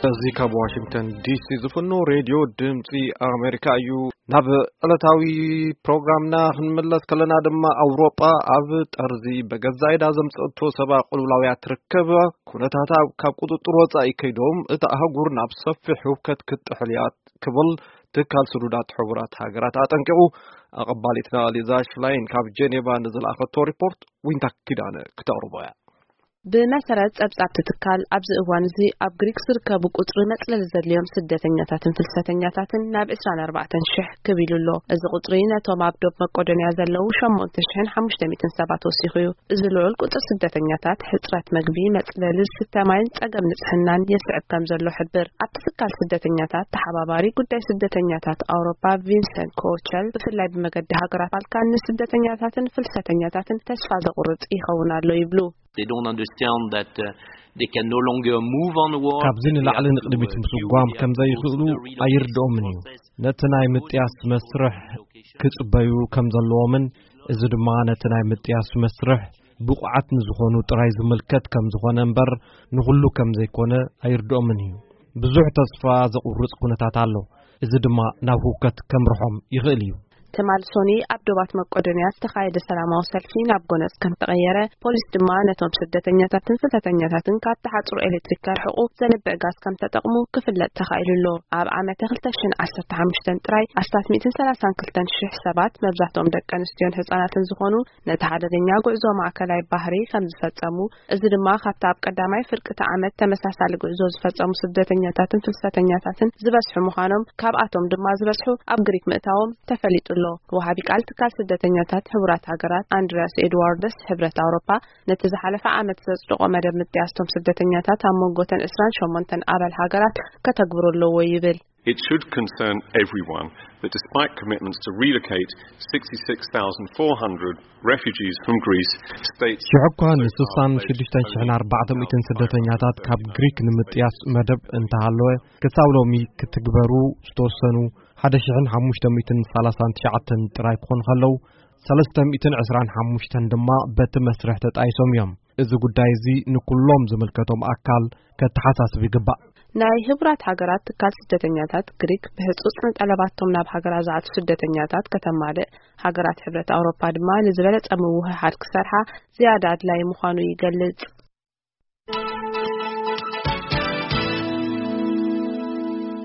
እዚ ካብ ዋሽንግተን ዲሲ ዝፍኖ ሬድዮ ድምፂ ኣሜሪካ እዩ። ናብ ዕለታዊ ፕሮግራምና ክንምለስ ከለና ድማ፣ ኣውሮጳ ኣብ ጠርዚ በገዛ ኢዳ ዘምፀእቶ ሰብኣዊ ቅልውላውያ ትርከብ። ኩነታታ ካብ ቁፅጥር ወፃኢ ከይዶም፣ እታ ኣህጉር ናብ ሰፊሕ ህውከት ክትጥሕል እያ ክብል ትካል ስዱዳት ሕቡራት ሃገራት ኣጠንቂቑ። ኣቐባሊትና ሊዛ ሽላይን ካብ ጄኔቫ ንዝለኣኸቶ ሪፖርት ዊንታ ኪዳነ ክተቕርቦ እያ። ብመሰረት ጸብጻብቲ ትካል፣ ኣብዚ እዋን እዚ ኣብ ግሪክ ዝርከቡ ቁጽሪ መጽለሊ ዘድልዮም ስደተኛታትን ፍልሰተኛታትን ናብ ዕስራን ኣርባዕተን ሽሕ ክብ ኢሉ ኣሎ። እዚ ቁጽሪ ነቶም ኣብ ዶብ መቄዶንያ ዘለዉ ሸሞንተ ሽሕን ሓሙሽተ ሚእትን ሰባት ወሲኹ እዩ። እዚ ልዑል ቁጽሪ ስደተኛታት፣ ሕጽረት መግቢ፣ መጽለሊ፣ ዝስተ ማይን ጸገም ንጽህናን የስዕብ ከም ዘሎ ሕብር። ኣብቲ ትካል ስደተኛታት ተሓባባሪ ጉዳይ ስደተኛታት ኣውሮፓ ቪንሰንት ኮቸል፣ ብፍላይ ብመገዲ ሃገራት ባልካን ንስደተኛታትን ፍልሰተኛታትን ተስፋ ዘቑርጽ ይኸውን ኣሎ ይብሉ። They don't understand that uh, they can no longer move onward. ካብዚ ንላዕሊ ንቕድሚት ምስጓም ከም ዘይኽእሉ ኣይርድኦምን እዩ። ነቲ ናይ ምጥያስ መስርሕ ክጽበዩ ከም ዘለዎምን፣ እዚ ድማ ነቲ ናይ ምጥያስ መስርሕ ብቑዓት ንዝኾኑ ጥራይ ዝምልከት ከም ዝኾነ እምበር፣ ንኹሉ ከም ዘይኮነ ኣይርድኦምን እዩ። ብዙሕ ተስፋ ዘቑርጽ ኩነታት ኣሎ። እዚ ድማ ናብ ህውከት ከምርሖም ይኽእል እዩ። ትማል ሶኒ ኣብ ዶባት መቄዶንያ ዝተኻየደ ሰላማዊ ሰልፊ ናብ ጎነጽ ከም ተቐየረ፣ ፖሊስ ድማ ነቶም ስደተኛታትን ፍልሰተኛታትን ካብ ተሓጽሮ ኤሌክትሪክ ከርሕቑ ዘንብዕ ጋዝ ከም ተጠቕሙ ክፍለጥ ተኻኢሉ ኣሎ። ኣብ ዓመተ ክልተ ሽሕን ዓሰርተ ሓሙሽተን ጥራይ ኣስታት ሚእትን ሰላሳን ክልተን ሽሕ ሰባት፣ መብዛሕትኦም ደቂ ኣንስትዮን ህጻናትን ዝኾኑ፣ ነቲ ሓደገኛ ጉዕዞ ማእከላይ ባሕሪ ከም ዝፈጸሙ፣ እዚ ድማ ካብቲ ኣብ ቀዳማይ ፍርቂ እቲ ዓመት ተመሳሳሊ ጉዕዞ ዝፈጸሙ ስደተኛታትን ፍልሰተኛታትን ዝበዝሑ ምዃኖም፣ ካብኣቶም ድማ ዝበዝሑ ኣብ ግሪክ ምእታዎም ተፈሊጡ ኣሎ። ወሃቢ ቃል ትካል ስደተኛታት ሕቡራት ሃገራት ኣንድሪያስ ኤድዋርደስ፣ ሕብረት ኣውሮፓ ነቲ ዝሓለፈ ዓመት ዘጽደቖ መደብ ምጥያስቶም ስደተኛታት ኣብ መንጎተን ዕስራን ሸሞንተን ኣባል ሃገራት ከተግብሮ ኣለዎ ይብል። It should concern everyone that despite commitments to relocate sixty-six thousand four hundred refugees from Greece, states ሽሕ እኳ ንስሳን ሽዱሽተን ሽሕን ኣርባዕተ ሚእትን ስደተኛታት ካብ ግሪክ ንምጥያስ መደብ እንተሃለወ፣ ክሳብ ሎሚ ክትግበሩ ዝተወሰኑ ሓደ ሽሕን ሓሙሽተ ሚእትን ሰላሳን ትሽዓተን ጥራይ ክኾኑ ከለዉ፣ ሰለስተ ሚእትን ዕስራን ሓሙሽተን ድማ በቲ መስርሕ ተጣይሶም እዮም። እዚ ጉዳይ እዚ ንኩሎም ዝምልከቶም ኣካል ከተሓሳስብ ይግባእ። ናይ ህቡራት ሃገራት ትካል ስደተኛታት፣ ግሪክ ብህጹጽ ንጠለባቶም ናብ ሃገራ ዝኣቱ ስደተኛታት ከተማልእ፣ ሃገራት ሕብረት ኣውሮፓ ድማ ንዝበለጸ ምውህሃድ ክሰርሓ ዝያዳ ኣድላዪ ምዃኑ ይገልጽ።